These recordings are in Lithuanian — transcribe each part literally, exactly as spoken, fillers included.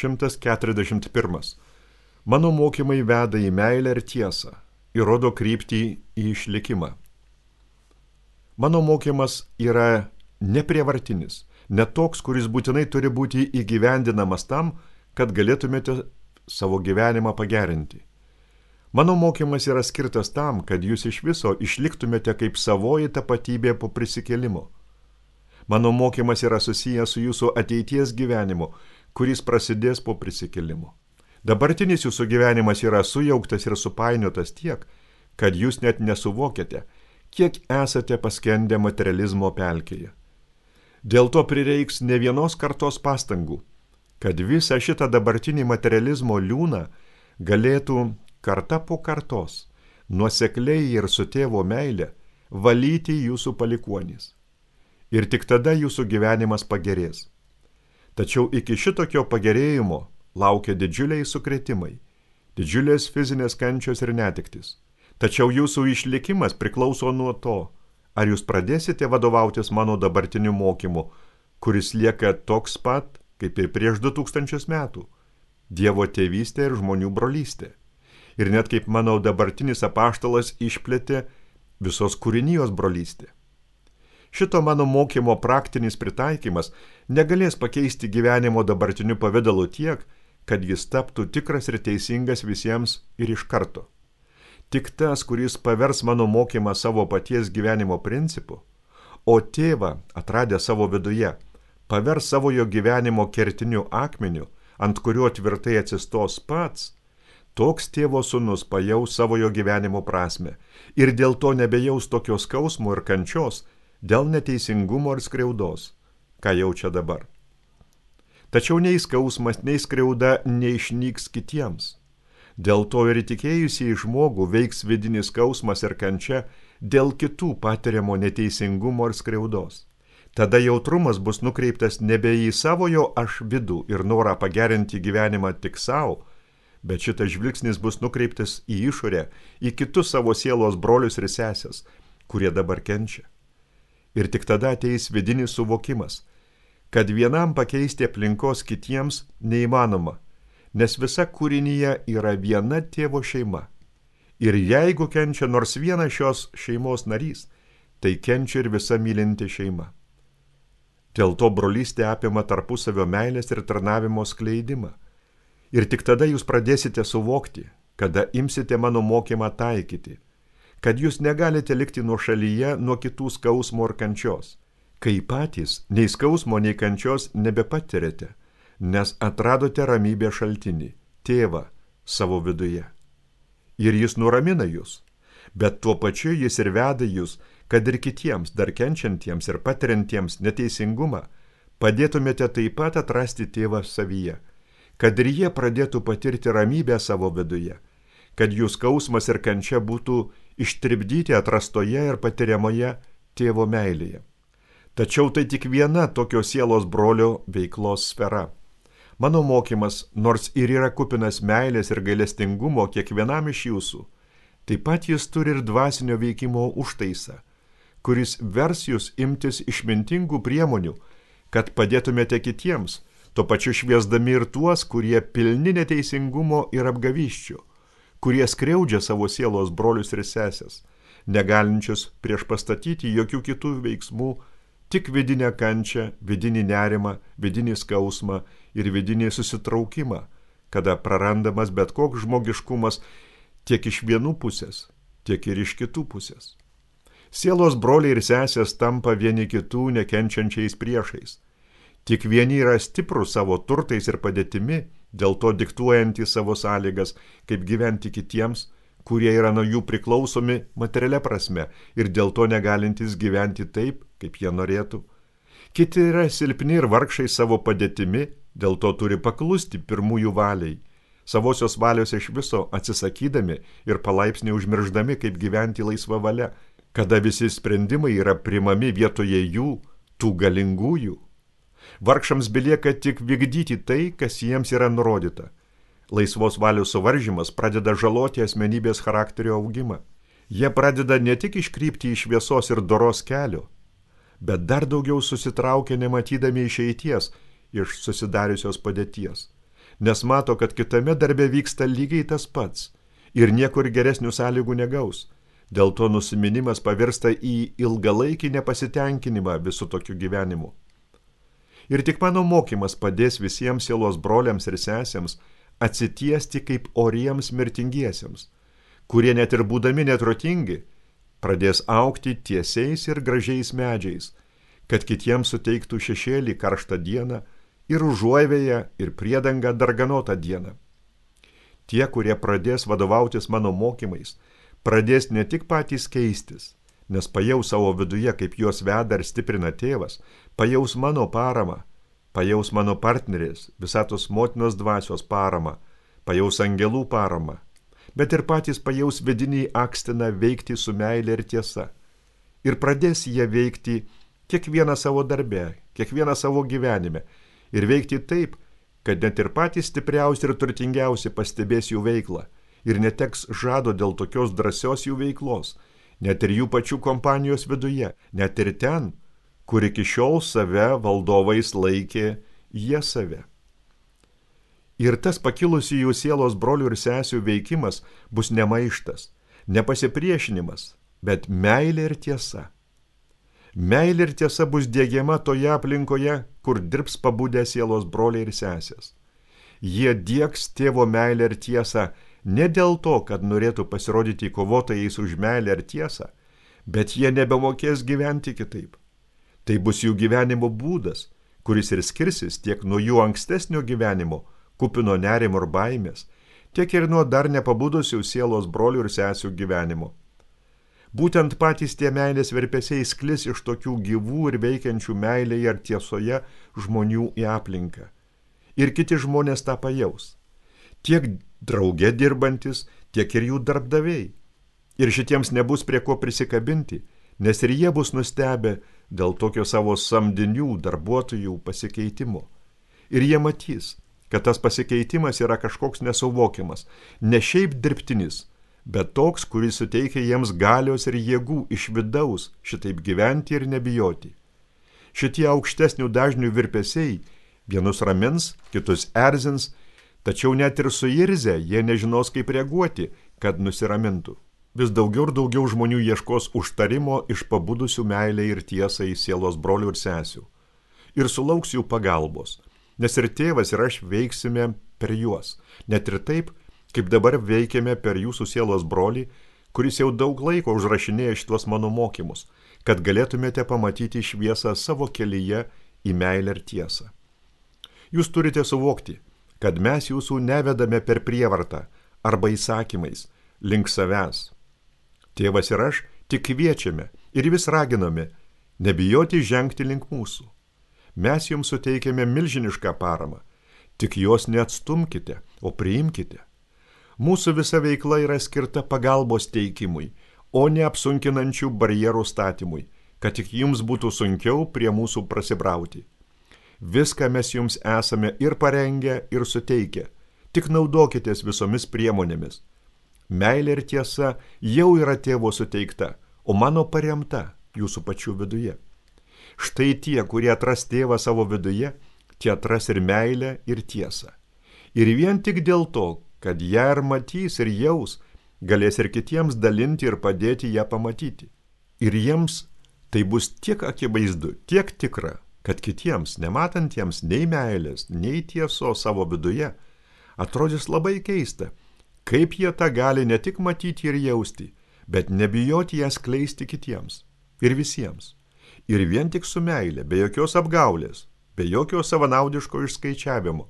šimtas keturiasdešimt pirmas. Mano mokymai veda į meilę ir tiesą ir rodo kryptį į išlikimą. Mano mokymas yra neprievartinis, ne toks, kuris būtinai turi būti įgyvendinamas tam, kad galėtumėte savo gyvenimą pagerinti. Mano mokymas yra skirtas tam, kad jūs iš viso išliktumėte kaip savoji tapatybė po prisikėlimo. Mano mokymas yra susijęs su jūsų ateities gyvenimu, kuris prasidės po prisikėlimo. Dabartinis jūsų gyvenimas yra sujauktas ir supainiotas tiek, kad jūs net nesuvokiate, kiek esate paskendę materializmo pelkėje. Dėl to prireiks ne vienos kartos pastangų, kad visą šitą dabartinį materializmo liūną galėtų karta po kartos, nuosekliai ir su tėvo meile, valyti jūsų palikuonys. Ir tik tada jūsų gyvenimas pagerės. Tačiau iki šitokio pagerėjimo laukia didžiuliai sukrėtimai, didžiulės fizinės kančios ir netektis. Tačiau jūsų išlikimas priklauso nuo to, ar jūs pradėsite vadovautis mano dabartiniu mokymu, kuris lieka toks pat, kaip ir prieš du tūkstančius metų – Dievo tėvystė ir žmonių brolystė. Ir net kaip mano dabartinis apaštalas išplėtė visos kūrinijos brolystė. Šito mano mokymo praktinis pritaikymas negalės pakeisti gyvenimo dabartiniu pavidalu tiek, kad jis taptų tikras ir teisingas visiems ir iš karto. Tik tas, kuris pavers mano mokymą savo paties gyvenimo principu, o tėvą, atradę savo viduje, pavers savo jo gyvenimo kertiniu akmeniu, ant kurio tvirtai atsistos pats, toks tėvo sūnus pajaus savo jo gyvenimo prasme ir dėl to nebejaus tokios skausmo ir kančios dėl neteisingumo ir skriaudos, ką jaučia dabar. Tačiau nei skausmas, nei skriauda neišnyks kitiems. Dėl to ir įtikėjusiai žmogų veiks vidinis skausmas ir kančia dėl kitų patiriamo neteisingumo ir skriaudos. Tada jautrumas bus nukreiptas nebe į savojo aš vidų ir norą pagerinti gyvenimą tik savo, bet šitas žvilgsnis bus nukreiptas į išorę, į kitus savo sielos brolius ir sesės, kurie dabar kenčia. Ir tik tada ateis vidinis suvokimas, kad vienam pakeisti aplinkos kitiems neįmanoma, nes visa kūrinyje yra viena tėvo šeima. Ir jeigu kenčia nors vienas šios šeimos narys, tai kenčia ir visa mylinti šeima. Dėl to brolystė apima tarpusavio meilės ir tarnavimo skleidimą. Ir tik tada jūs pradėsite suvokti, kada imsite mano mokymą taikyti, kad jūs negalite likti nuošalyje nuo kitų skausmo ir kančios, kai patys nei skausmo, nei kančios nebepatirėte, nes atradote ramybės šaltinį, tėvą savo viduje. Ir jis nuramina jūs, bet tuo pačiu jis ir veda jūs, kad ir kitiems, dar kenčiantiems ir patiriantiems neteisingumą, padėtumėte taip pat atrasti tėvą savyje, kad ir jie pradėtų patirti ramybę savo viduje, kad jų skausmas ir kančia būtų ištribdyti atrastoje ir patiriamoje tėvo meilėje. Tačiau tai tik viena tokio sielos brolio veiklos sfera. Mano mokymas, nors ir yra kupinas meilės ir gailestingumo kiekvienam iš jūsų, taip pat jis turi ir dvasinio veikimo užtaisą, kuris vers jūs imtis išmintingų priemonių, kad padėtumėte kitiems, tuo pačiu šviesdami ir tuos, kurie pilni neteisingumo ir apgavysčių, kurie skriaudžia savo sielos brolius ir sesės, negalinčius prieš pastatyti jokių kitų veiksmų, tik vidinę kančią, vidinį nerimą, vidinį skausmą ir vidinį susitraukimą, kada prarandamas bet koks žmogiškumas tiek iš vienų pusės, tiek ir iš kitų pusės. Sielos broliai ir sesės tampa vieni kitų nekenčiančiais priešais. Tik vieni yra stiprus savo turtais ir padėtimi, dėl to diktuojantys savo sąlygas, kaip gyventi kitiems, kurie yra nuo jų priklausomi materialia prasme ir dėl to negalintys gyventi taip, kaip jie norėtų. Kiti yra silpni ir vargšai savo padėtimi, dėl to turi paklusti pirmųjų valiai, savosios valios iš viso atsisakydami ir palaipsniui užmirždami, kaip gyventi laisva valia, kada visi sprendimai yra primami vietoje jų, tų galingųjų. Vargšams belieka tik vykdyti tai, kas jiems yra nurodyta. Laisvos valios suvaržymas pradeda žaloti asmenybės charakterio augimą. Jie pradeda ne tik iškrypti iš šviesos ir doros kelio, bet dar daugiau susitraukia nematydami išeities iš susidariusios padėties. nes mato, kad kitame darbe vyksta lygiai tas pats ir niekur geresnių sąlygų negaus. Dėl to nusiminimas pavirsta į ilgalaikį nepasitenkinimą visų tokiu gyvenimu. Ir tik mano mokymas padės visiems sielos broliams ir sesėms atsitiesti kaip oriems mirtingiesiems, kurie net ir būdami netrotingi, pradės augti tiesiais ir gražiais medžiais, kad kitiems suteiktų šešėlį karštą dieną ir užuovėją ir priedangą darganotą dieną. Tie, kurie pradės vadovautis mano mokymais, pradės ne tik patys keistis, nes pajaus savo viduje, kaip juos veda ir stiprina tėvas, pajaus mano paramą, pajaus mano partnerės, visatos motinos dvasios paramą, pajaus angelų paramą, bet ir patys pajaus vidinį akstiną veikti su meile ir tiesa. Ir pradės jie veikti kiekvieną savo darbe, kiekvieną savo gyvenime ir veikti taip, kad net ir patys stipriausi ir turtingiausi pastebės jų veiklą ir neteks žado dėl tokios drąsios jų veiklos, net ir jų pačių kompanijos viduje, net ir ten, kur iki šiol save valdovais laikė jie save. Ir tas pakilusi jų sielos brolių ir sesių veikimas bus ne maištas, ne pasipriešinimas, bet meilė ir tiesa. Meilė ir tiesa bus diegiama toje aplinkoje, kur dirbs pabudę sielos broliai ir sesės. Jie diegs tėvo meilę ir tiesą ne dėl to, kad norėtų pasirodyti kovotojais už meilę ir tiesą, bet jie nebemokės gyventi kitaip. Tai bus jų gyvenimo būdas, kuris ir skirsis tiek nuo jų ankstesnio gyvenimo, kupino nerimo ir baimės, tiek ir nuo dar nepabudusių sielos brolių ir sesių gyvenimo. Būtent patys tie meilės virpesiai sklis iš tokių gyvų ir veikiančių meilėje ir tiesoje žmonių į aplinką. Ir kiti žmonės tą pajaus. Tiek drauge dirbantis, tiek ir jų darbdaviai. Ir šitiems nebus prie ko prisikabinti, nes ir jie bus nustebę dėl tokio savo samdinių darbuotojų pasikeitimo. Ir jie matys, kad tas pasikeitimas yra kažkoks nesuvokiamas, ne šiaip dirbtinis, bet toks, kuris suteikia jiems galios ir jėgų iš vidaus šitaip gyventi ir nebijoti. Šitie aukštesnių dažnių virpesiai vienus ramins, kitus erzins, tačiau net ir suirzę jie nežinos, kaip reaguoti, kad nusiramintų. Vis daugiau ir daugiau žmonių ieškos užtarimo iš pabudusių meilę ir tiesą į sielos brolių ir sesių. Ir sulauks jų pagalbos, nes ir tėvas ir aš veiksime per juos, net ir taip, kaip dabar veikiame per jūsų sielos brolį, kuris jau daug laiko užrašinėja šitos mano mokymus, kad galėtumėte pamatyti šviesą savo kelyje į meilę ir tiesą. Jūs turite suvokti, kad mes jūsų nevedame per prievartą arba įsakymais link savęs. Tėvas ir aš tik kviečiame ir vis raginame nebijoti žengti link mūsų. Mes jums suteikiame milžinišką paramą, tik jos neatstumkite, o priimkite. Mūsų visa veikla yra skirta pagalbos teikimui, o ne apsunkinančių barjerų statymui, kad tik jums būtų sunkiau prie mūsų prasibrauti. Viską mes jums esame ir parengę, ir suteikę, tik naudokitės visomis priemonėmis. Meilė ir tiesa jau yra tėvo suteikta, o mano paremta jūsų pačių viduje. Štai tie, kurie atras tėvą savo viduje, tie atras ir meilę, ir tiesą. Ir vien tik dėl to, kad ją ir matys ir jaus, galės ir kitiems dalinti ir padėti ją pamatyti. Ir jiems tai bus tiek akivaizdu, tiek tikra, kad kitiems, nematantiems nei meilės, nei tiesos savo viduje, atrodys labai keista, kaip jie tą gali ne tik matyti ir jausti, bet nebijoti ją skleisti kitiems ir visiems. Ir vien tik su meile, be jokios apgaulės, be jokio savanaudiško išskaičiavimo.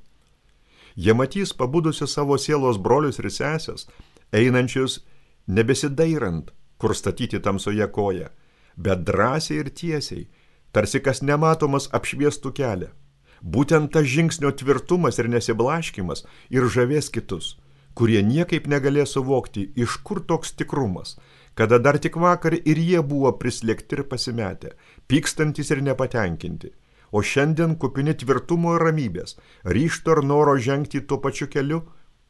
Jie matys pabudusius savo sielos brolius ir sesės, einančius nebesidairant, kur statyti tamsoje koją, bet drąsiai ir tiesiai, tarsi kas nematomas apšviestų kelią. Būtent tas žingsnio tvirtumas ir nesiblaškimas ir žavės kitus, kurie niekaip negalės suvokti, iš kur toks tikrumas, kada dar tik vakar ir jie buvo prislėgti ir pasimetę, pykstantis ir nepatenkinti. O šiandien kupini tvirtumo ir ramybės, ryžto ir noro žengti tuo pačiu keliu,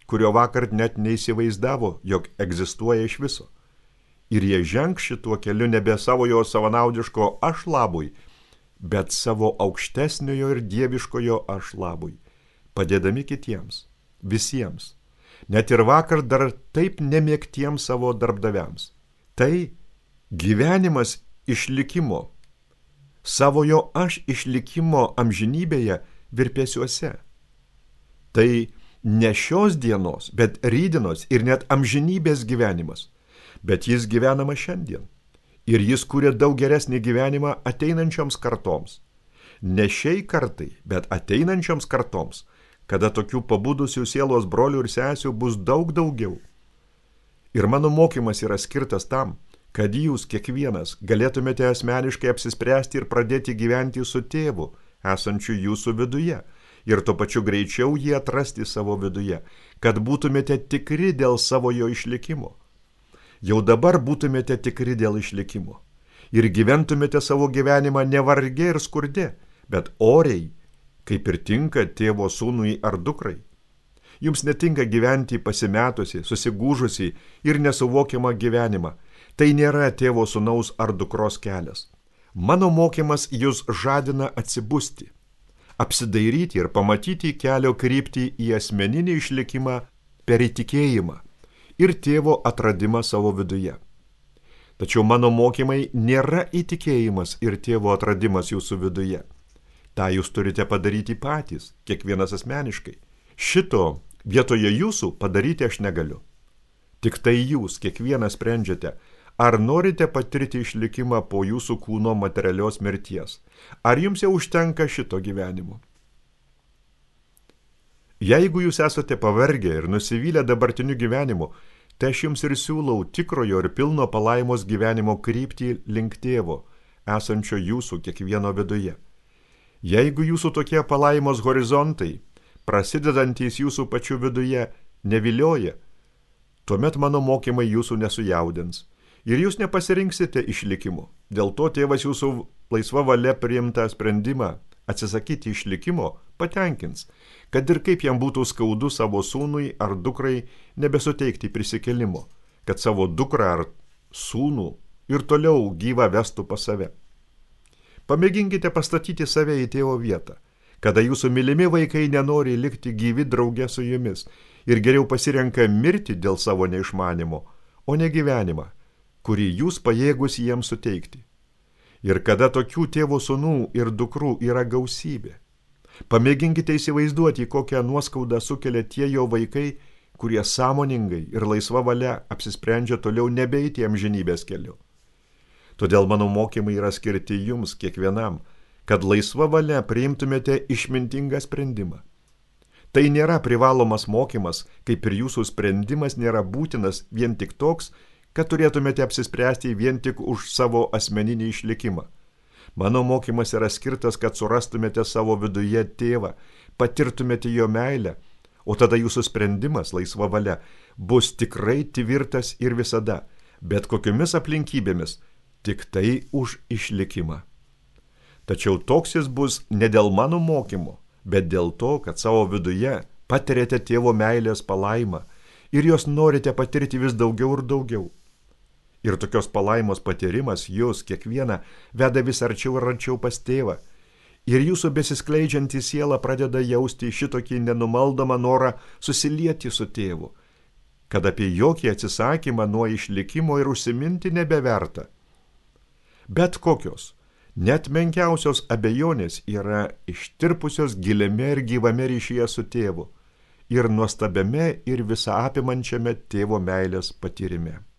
kurio vakar net neįsivaizdavo, jog egzistuoja iš viso. Ir jie žengs šituo keliu nebe savojo savanaudiško aš labui, bet savo aukštesniojo ir dieviškojo aš labui, padėdami kitiems. visiems, net ir vakar dar taip nemėgtiems savo darbdaviams. Tai gyvenimas išlikimo, savojo aš išlikimo amžinybėje virpesiuose. Tai ne šios dienos, bet rytdienos ir net amžinybės gyvenimas, bet jis gyvenama šiandien. Ir jis kuria daug geresnį gyvenimą ateinančioms kartoms. Ne šiai kartai, bet ateinančioms kartoms, kada tokių pabudusių sielos brolių ir sesių bus daug daugiau. Ir mano mokymas yra skirtas tam, kad jūs kiekvienas galėtumėte asmeniškai apsispręsti ir pradėti gyventi su tėvu, esančiu jūsų viduje, ir tuo pačiu greičiau jį atrasti savo viduje, kad būtumėte tikri dėl savojo išlikimo. Jau dabar būtumėte tikri dėl išlikimo ir gyventumėte savo gyvenimą ne varge ir skurde, bet oriai, kaip ir tinka tėvo sūnui ar dukrai. Jums netinka gyventi pasimetusi, susigūžusi ir nesuvokiamą gyvenimą. Tai nėra tėvo sūnaus ar dukros kelias. Mano mokymas jūs žadina atsibusti, apsidairyti ir pamatyti kelio kryptį į asmeninį išlikimą per įtikėjimą ir tėvo atradimą savo viduje. Tačiau mano mokymai nėra įtikėjimas ir tėvo atradimas jūsų viduje. Ta jūs turite padaryti patys, kiekvienas asmeniškai. Šito vietoje jūsų padaryti aš negaliu. Tik tai jūs, kiekvienas sprendžiate, ar norite patirti išlikimą po jūsų kūno materialios mirties, ar jums jau užtenka šito gyvenimo. Jeigu jūs esate pavargę ir nusivylę dabartiniu gyvenimu, tai aš jums ir siūlau tikrojo ir pilno palaimos gyvenimo kryptį link tėvo, esančio jūsų kiekvieno viduje. Jeigu jūsų tokie palaimos horizontai, prasidedantys jūsų pačių viduje, nevilioja, tuomet mano mokymai jūsų nesujaudins ir jūs nepasirinksite išlikimo. Dėl to tėvas jūsų laisva valia priimtą sprendimą atsisakyti išlikimo patenkins, kad ir kaip jam būtų skaudu savo sūnui ar dukrai nebesuteikti prisikėlimo, kad savo dukrą ar sūnų ir toliau gyvą vestų pas save. Pamėginkite pastatyti save į tėvo vietą, kada jūsų mylimi vaikai nenori likti gyvi drauge su jumis ir geriau pasirenka mirti dėl savo neišmanimo, o ne gyvenimą, kurį jūs pajėgus jiems suteikti. Ir kada tokių tėvo sūnų ir dukrų yra gausybė. Pamėginkite įsivaizduoti, kokią nuoskaudą sukelia tie jo vaikai, kurie sąmoningai ir laisva valia apsisprendžia toliau nebeiti amžinybės keliu. Todėl mano mokymai yra skirti jums kiekvienam, kad laisva valia priimtumėte išmintingą sprendimą. Tai nėra privalomas mokymas, kaip ir jūsų sprendimas nėra būtinas vien tik toks, kad turėtumėte apsispręsti vien tik už savo asmeninį išlikimą. Mano mokymas yra skirtas, kad surastumėte savo viduje tėvą, patirtumėte jo meilę, o tada jūsų sprendimas, laisva valia, bus tikrai tvirtas ir visada, bet kokiomis aplinkybėmis, tik tai už išlikimą. Tačiau toks jis bus ne dėl mano mokymo, bet dėl to, kad savo viduje patiriate tėvo meilės palaimą ir jos norite patirti vis daugiau ir daugiau. Ir tokios palaimos patyrimas jūs kiekvieną veda vis arčiau ir arčiau pas tėvą. Ir jūsų besiskleidžianti siela pradeda jausti šitokį nenumaldomą norą susilieti su tėvu, kad apie jokį atsisakymą nuo išlikimo ir užsiminti nebeverta. Bet kokios, net menkiausios abejonės yra ištirpusios giliame ir gyvame ryšyje su tėvu ir nuostabiame ir visą apimančiame tėvo meilės patyrime.